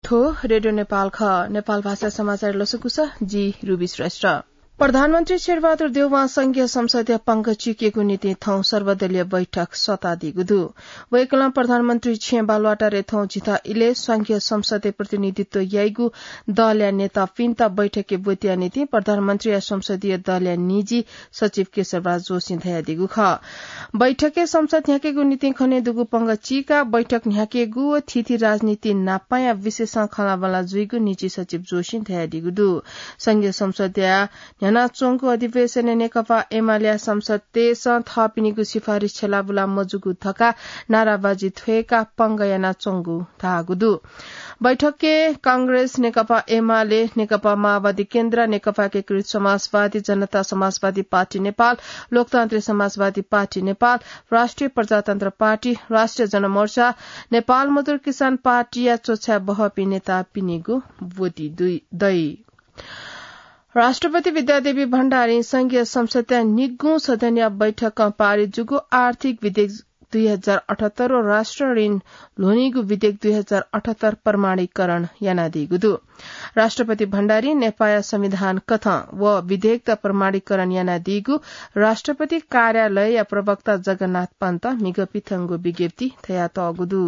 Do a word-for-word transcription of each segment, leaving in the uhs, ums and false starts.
थ्व रेडियो नेपाल खः। नेपाल भाषा समाचार लसकुस, जि रुबी श्रेष्ठ। प्रधानमन्त्री शेरबहादुर देउवां संघीय संसदया पङ्ग चिकेगु निंतिं थौं सर्वदलीय बैठक सःतादीगु दु। वय्कलं प्रधानमन्त्री छेँ बालुवाटारय् थौं झिता इलय् संघीय संसदय् प्रतिनिधित्व याइगु दलया नेतापिन्त बैठकय् ब्वतिया निंतिं प्रधानमन्त्रीया संसदीय दलया निजी सचिव केशवराज जोशीं धयादीगु खः। बैठकय् संसद न्ह्याकेगु निंतिं खनेदुगु पङ्ग चीकाः बैठक न्ह्याकेगु व थीथी राजनीति न्हापांया विषयसं खँल्हाबल्हा जुइगु निजी सचिव जोशीं धयादीगु दु। संघीय संसदया न्ह्यानाच्वंगु अधिवेशनय् नेकपा एमालेया सांसदतय्सं थःपिनिगु सिफारिस छ्यलाबुला मजूगु धकाः नाराबाजी थ्वय्काः पङ्ग यानाच्वंगु धाःगु दु। बैठकय् कांग्रेस, नेकपा एमाले, नेकपा माओवादी केन्द्र, नेकपा एकीकृत समाजवादी, जनता समाजवादी पार्टी नेपाल, लोकतान्त्रिक समाजवादी पार्टी नेपाल, राष्ट्रिय प्रजातन्त्र पार्टी, राष्ट्रिय जनमोर्चा, नेपाल मजदुर किसान पार्टीया च्वछाय् बहःपिं नेतापिनिगु ब्वति दइ। राष्ट्रपति विद्यादेवी भण्डारीं संघीय संसदया निगूं सदनया बैठकं पारित जूगु आर्थिक विधेयक दुई हजार अठहत्तर व राष्ट्र ऋण ल्ह्वनीगु विधेयक दुई हजार अठहत्तर प्रमाणीकरण यानादीगु दु। राष्ट्रपति भण्डारीं नेपाःया संविधान कथं व विधेयकत प्रमाणीकरण यानादीगु राष्ट्रपति कार्यालयया प्रवक्ता जगन्नाथ पन्तं म्हिगः पिथंगु विज्ञप्ति धयातःगु दु।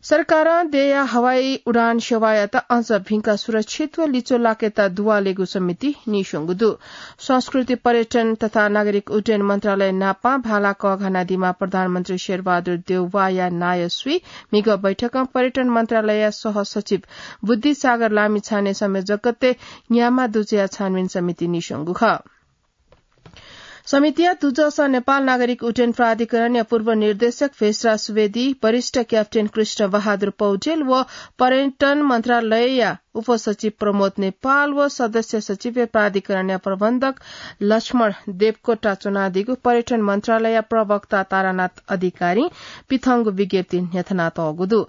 सरकारं देय्या हवाई उडान सेवायात अझ भिंका सुरक्षित व लिच्वलाकेत दुवालेगु समितिं नीस्वंगु दु। संस्कृति, पर्यटन तथा नागरिक उड्डयन मन्त्रालय नापं भाला कःघानादीम्ह प्रधानमन्त्री शेरबहादुर देउवाया नायःसुइ म्हिगः बैठकं पर्यटन मन्त्रालयया सहसचिव बुद्धिसागर लामिछाने संयोजकत्वय् न्याम्ह दुजःया छानबिन समितिं नीस्वंगु खः। समितिया दुजःसं नेपाल नागरिक उड्डयन प्राधिकरणया पूर्व निर्देशक भेषराज सुवेदी, वरिष्ठ क्याप्टेन कृष्ण बहादुर पौडेल व पर्यटन मन्त्रालयया उपसचिव प्रमोद नेपाल व सदस्य सचिवय् प्राधिकरणया प्रबन्धक लक्ष्मण देवकोटा च्वनादीगु पर्यटन मन्त्रालयया प्रवक्ता तारानाथ अधिकारीं पिथंगु विज्ञप्तिइ न्ह्यथनातःगु दु।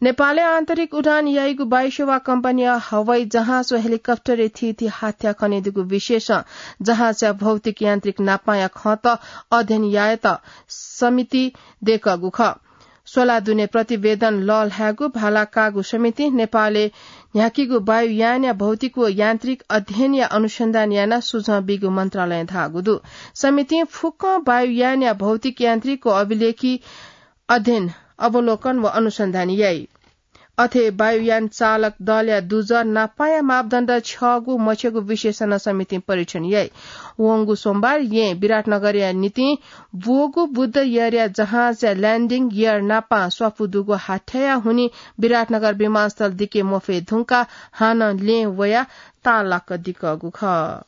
नेपालय् आन्तरिक उडान याइगु वायुसेवा कम्पनीया हवाई जहाज व हेलिकप्टरय् थीथी हाथ्या खनेदुगु विषयसं जहाजया भौतिक यान्त्रिक नापंया खँत अध्ययन यायेत समिति दय्कःगु खः। स्वला दुने प्रतिवेदन लःल्हायेगु भाला काःगु समितिं नेपालय् न्ह्याकीगु वायुयानया भौतिक व यान्त्रिक अध्ययनया अनुसन्धान यानाः सुझाव बीगु मन्त्रालयं धाःगु दु। समितिं फुक्कं वायुयानया भौतिक यान्त्रिक व अभिलेखी अध्ययन, अवलोकन व अनुसन्धान याइ। अथे वायुयान चालक दलया दुजः नापंया मापदण्ड छ्यःगु मछ्यःगु विषयसं नं समितिं परीक्षण याइ। वंगु सोमबार येँ विराटनगरया निंतिं ब्वःगु बुद्ध एयरया जहाजया ल्याण्डिङ गियर नापं स्वापू दुगु हाथ्याया हुनिं विराटनगर विमानस्थल दिके मफये धुंकाः हानं लँय् वयाः ताःलाक दिकःगु खः।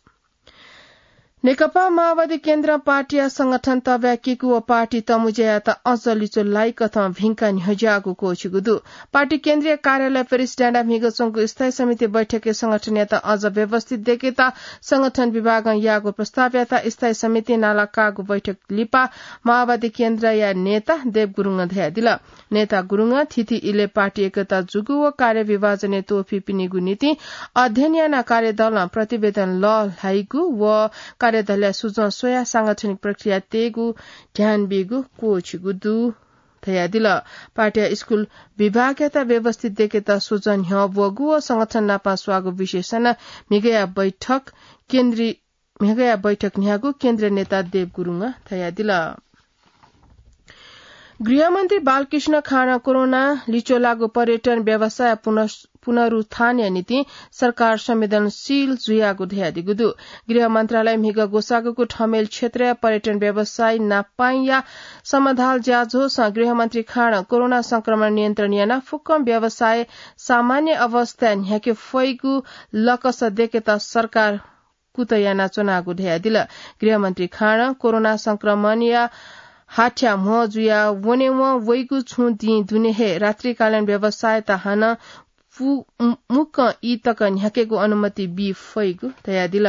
नेकपा माओवादी केन्द्रं पार्टीया संगठन तःब्याकीगु व पार्टी तःमुँज्यायात अझ लिच्वलाइकथं भिंका न्ह्यज्याःगु क्वःछिगु दु। पार्टी केन्द्रीय कार्यालय प्रेस डाँडाय् म्हिगः च्वंगु स्थायी समिति बैठकय् संगठनयात अझ व्यवस्थित दय्केत संगठन विभागं याःगु प्रस्तावयात स्थायी समितिं नाला काःगु बैठक लिपा माओवादी केन्द्रया नेता देव गुरुङं धयादिल। नेता गुरुङं थीथी इलय् पार्टी एकता जूगु व कार्यविभाजनय् त्वःफिपिनिगु निंतिं अध्ययन यानाः कार्यदलं प्रतिवेदन लःल्हाइगु व कार्यदलया सुझाव स्वयाः सांगठनिक प्रक्रिया तयेगु ध्यान बीगु क्वःछिगु दु धयादिल। पार्टीया स्कूल विभागयात व्यवस्थित दय्केत सुझाव न्ह्यः ब्वःगु व संगठन नापं स्वाःगु विषयसं नं म्हिगःया बैठक केन्द्रीय म्हिगःया बैठक न्ह्याःगु केन्द्रीय नेता देव गुरुङं धयादिल। गृहमन्त्री बालकृष्ण खाँडं कोरोना लिच्वलाःगु पर्यटन व्यवसाय पुनः-, पुनरुत्थानया निंतिं सरकार संवेदनशील जुयागु धयादीगु दु। गृह मन्त्रालयं म्हिगः ग्वसाःगु ठमेल क्षेत्रया पर्यटन व्यवसायी नापंया समाधाल ज्याझ्वलय् गृहमन्त्री खाँडं कोरोना संक्रमण नियन्त्रण यानाः फुक्कं व्यवसाय सामान्य अवस्थाय् न्ह्याके फइगु लकस दय्केत सरकार कुतः यानाच्वनागु धयादिल। गृहमन्त्री खाँडं कोरोना संक्रमणया हाथ्या म्हो जुया वनेवं वइगु छुं दिं दुने हे रात्रिकालीन व्यवसायत हानं पु-, मु-, मुक्कं ई तक न्ह्याकेगु अनुमति बी फइगु धयादिल।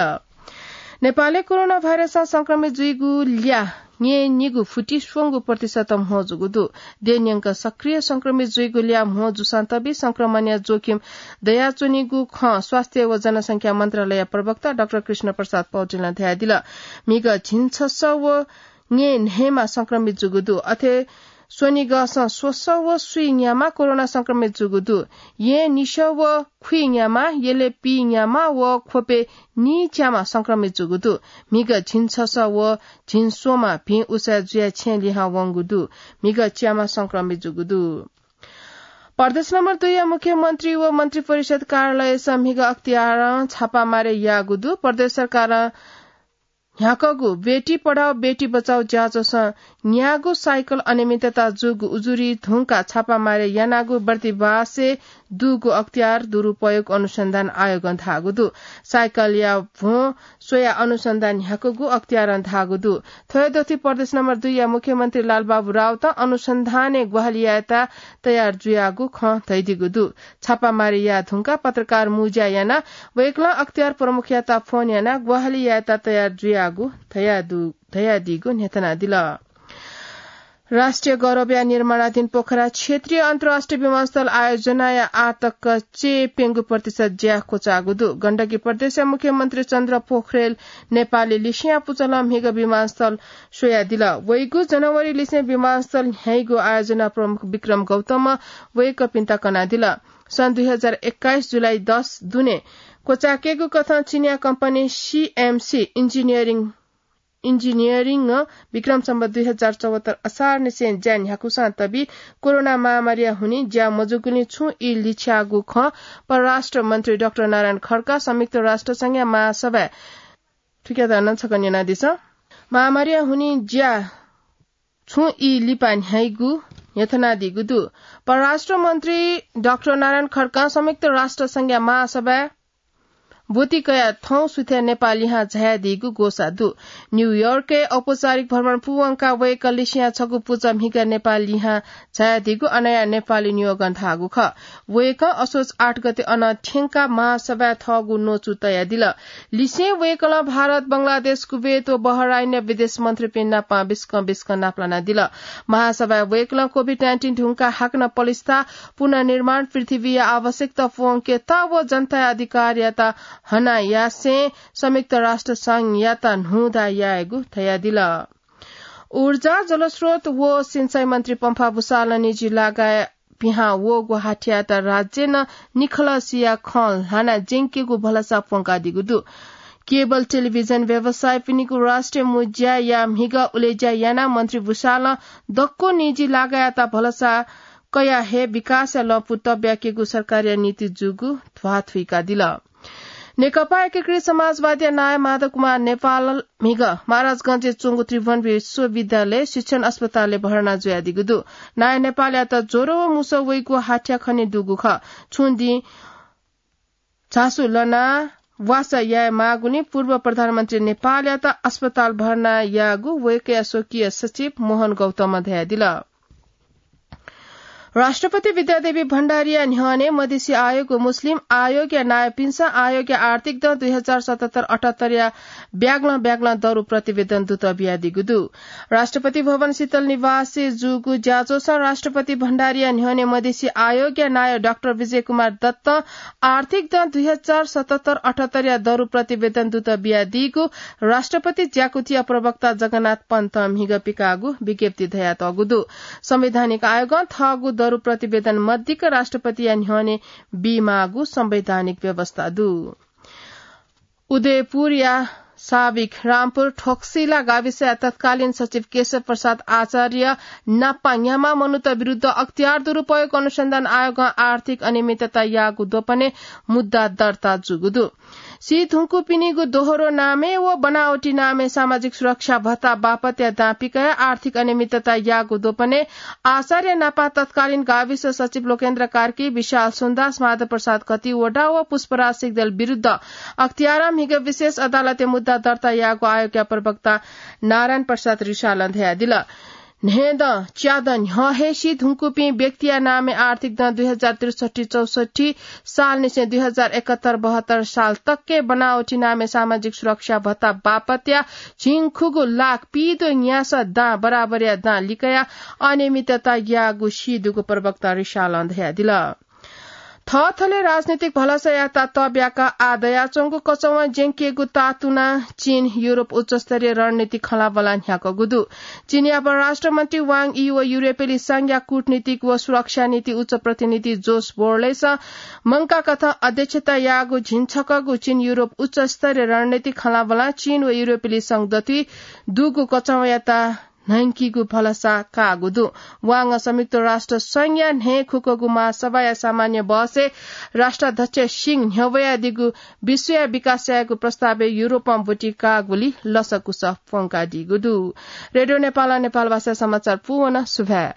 नेपालय् कोरोना भाइरसं संक्रमित जुइगु ल्याः न्यय्निगू फुति स्वंगू प्रतिशत म्हो जूगु दु। देय् न्यंक सक्रिय संक्रमित जुइगु ल्याः म्हो जूसां तबि संक्रमणया जोखिम दयाच्वनीगु खँ स्वास्थ्य व जनसंख्या मन्त्रालयया प्रवक्ता डाक्टर कृष्ण प्रसाद पौडेलं धयादिल। म्हिगः झिंछसः व न्यय्न्हय्मा संक्रमित जूगु दु। अथे स्वनिगःसं स्वसः व स्वीन्यामा कोरोना संक्रमित जूगु दु। येँ निसः व खुइन्यामा, यलय् पीन्यामा व ख्वपय् नीच्यामा संक्रमित जूगु दु। म्हिगः झिंछसः व झिंस्वम्ह भिं उसाँय् जुयाः छेँ लिहां वंगु दु। म्हिगः च्यामा संक्रमित जूगु दु। प्रदेश नम्बर दुईया मुख्यमन्त्री व मन्त्री परिषद कार्यालयसं म्हिगः अख्तियारं छापामारी याःगु दु। प्रदेश सरकारं न्ह्याकःगु बेटी पढाओ बेटी बचाओ ज्याझ्वलं न्यागू साइकल अनियमितता जूगु उजुरी धुंकाः छापामारी यानागु बर्दिवासय् दुगु अख्तियार दुरुपयोग अनुसन्धान आयोगं धाःगु दु। साइकलया भ्वं स्वयाः अनुसन्धान न्ह्याकूगु अख्तियारं धाःगु दु। थ्व हे दथुइ प्रदेश नम्बर दुईया मुख्यमन्त्री लालबाबु राउतं अनुसन्धानय् ग्वाहालि यायेत तयार जुयागु खँ धयादीगु दु। छापामारी याये धुंकाः पत्रकार मुँज्या यानाः वय्कलं अख्तियार प्रमुखयात फोन यानाः ग्वाहालि यायेत तयार जुयागु धयादु-, धयादीगु न्ह्यथनादिल। राष्ट्रिय गौरवया निर्माणाधीन पोखरा क्षेत्रीय अन्तर्राष्ट्रिय विमानस्थल आयोजनाया आःतक च्यय् प्यंगू प्रतिशत ज्या क्वचाःगु दु। गण्डकी प्रदेशया मुख्यमन्त्री चन्द्र पोखरेल नेपालय् लिसेंया पुचलं म्हिगः विमानस्थल स्वयादिल। वइगु जनवरीलिसें विमानस्थल न्ह्याइगु आयोजना प्रमुख विक्रम गौतमं वय्कःपिन्त कनादिल। सन् दुई हजार एक्काइस जुलाई दस दुने क्वचायेकेगु कथं चीनया कम्पनी सीएमसी इन्जिनियरिङ इन्जिनियरिङं विक्रम सम्वत दुई हजार चौहत्तर असारनिसें ज्या न्ह्याकुसां तबी कोरोना महामारीया हुनिं ज्या मजूगुलिं छुं ई लिछ्याःगु खँ परराष्ट्र मन्त्री डाक्टर नारायण खड्का संयुक्त राष्ट्र संघया महासभाय् थुकियात नं छकः न्यनादिसँ। महामारीया हुनिं ज्या छुं ई लिपा न्ह्याइगु न्ह्यथनादीगु दु। परराष्ट्र मन्त्री डाक्टर नारायण खड्कां संयुक्त राष्ट्र संघया महासभाय् ब्वति कयाः थौं सुथय् नेपाः लिहां झायादीगु ग्वसाः दु। न्यूयोर्कय् औपचारिक भ्रमण पूवंकाः वय्कः लिसेंया छगू पुचः म्हिगः नेपाः लिहां झायादीगु अनया नेपाली नियोगं धाःगु खः। वय्कः असोज आठ गते अनं थ्यंकाः महासभाय् थःगु न्वचु तयादिल। लिसें वय्कलं भारत, बंगलादेश, कुवेत व बहराइनया विदेश मन्त्रीपिं नाप बिस्कं बिस्कं नापलानादिल। महासभाय् वय्कलं कोभिड नाइन्टिन धुंकाः हाकनं पलिस्था, पुनर्निर्माण, पृथ्वीया आवश्यकता पूवंकेत व जनताया अधिकारयात हना यासें संयुक्त राष्ट्र संघयात न्हूदँ यायेगु धयादिल। ऊर्जा, जलस्रोत व सिँचाइ मन्त्री पम्फा भुसालं निजी लागाय् पिहां वःगु हाथ्यायात राज्यं निखलसिया खँ ल्हाना ज्यंकेगु भलसा प्वंकादीगु दु। केबल टेलिभिजन व्यवसायीपिनिगु राष्ट्रिय मुँज्याया म्हिगः उलेज्या यानाः मन्त्री भुसालं दक्व निजी लागाय्‌यात भलसा कयाः हे विकासया लँपु तब्याकेगु सरकारया नीति जूगु ध्वाथुइकादिल। नेकपा एकीकृत समाजवादीया नायः माधव कुमार नेपाल म्हिगः महाराजगंजय् च्वंगु त्रिभुवन विश्वविद्यालय शिक्षण अस्पतालय् भर्ना जुयादीगु दु। नायः नेपालयात ज्वरो व मुसः वइगु हाथ्या खनेदुगु खः। छुं दिं झासु लनाः वासः याये माःगुलिं पूर्व प्रधानमन्त्री नेपालयात अस्पताल भर्ना याःगु वय्‌कःया स्वकीय सचिव मोहन गौतमं धयादिल। राष्ट्रपति विद्यादेवी भण्डारीया न्ह्यःने मधेसी आयोग व मुस्लिम आयोगया नायःपिन्सं आयोगया आर्थिक दँ दुई हजार सतहत्तर अठहत्तरया ब्यागलं ब्यागलं दरु प्रतिवेदन दुत बियादीगु दु। राष्ट्रपति भवन शीतल निवासय् जूगु ज्याझ्वलय् राष्ट्रपति भण्डारीया न्ह्यःने मधेसी आयोगया नायः डाक्टर विजय कुमार दत्तं आर्थिक दँ दुई हजार सतहत्तर अठहत्तरया दरु प्रतिवेदन दुत बियादीगु राष्ट्रपति ज्याकुथिया प्रवक्ता जगन्नाथ पन्तं म्हिगः पिकाःगु विज्ञप्ति धयातःगु दु। संवैधानिक आयोगं थःगु दरु प्रतिवेदन मदिक्क राष्ट्रपतिया न्ह्यःने बीमाःगु संवैधानिक व्यवस्था दु। उदयपुरया साविक रामपुर ठोक्सिला गाविसया तत्कालीन सचिव केशव प्रसाद आचार्य नापा न्ह्याम्ह मनूत विरुद्ध अख्तियार दुरुपयोग अनुसन्धान आयोगं आर्थिक अनियमितता याःगु द्वपनय् मुद्दा दर्ता जूगु दु। सी धुंकूपिनिगु दोहोरो नामय् व बनावटी नामय् सामाजिक सुरक्षा भत्ता बापतया दां पिकयाः आर्थिक अनियमितता याःगु द्वपनय् आचार्य नापा तत्कालीन गाविस सचिव लोकेन्द्र कार्की, विशाल सुन्दास, माधव प्रसाद कतिवडा व पुष्पराज सिग्देल विरुद्ध अख्तियारं म्हिगः विशेष अदालतय् मुद्दा दर्ता याःगु आयोगया प्रवक्ता नारायण प्रसाद रिसालं धयादिल। न्हय्दँ च्यादँ न्ह्यः हे सी धुंकूपिं व्यक्तिया नामय् आर्थिक दँ दुई हजार त्रिसट्ठी चौसट्ठी सालनिसें दुई हजार एकहत्तर बहत्तर साल तकय् बनावटी नामय् सामाजिक सुरक्षा भत्ता बापतया झिंखुगू लाख पीद्वः न्यासः दां बराबरया दां लिकयाः अनियमितता याःगु सीदुगु प्रवक्ता रिसालं धयादिल। थःथले राजनीतिक भलसायात तब्याका आ दयाच्वंगु कचौवां ज्यंकेगु तातुना चीन युरोप उच्चस्तरीय रणनीति खँलाबला न्ह्याकगु दु। चीनया परराष्ट्र मन्त्री वाङ यी व युरोपेली संघया कूटनीतिक व सुरक्षा नीति उच्च प्रतिनिधि जोस बोर्लेस मंका कथं अध्यक्षता याःगु झिंछकगु चीन युरोप उच्चस्तरीय रणनीति खँलाबला चीन व युरोपेली संघ दथुइ दुगु कचौवायात न्हंकीगु भलसा काःगु दु। वाङं संयुक्त राष्ट्र संघया न्हय् खुकगु महासभाया सामान्य बहसय् राष्ट्राध्यक्ष सिंह न्ह्यब्वयादीगु विश्वया विकास यायेगु प्रस्तावय् युरोपं ब्वति काःगुली लसकुस प्वंकादीगु दु। रेडियो नेपालं नेपाल भाषा समाचार पूवन सुभाय्।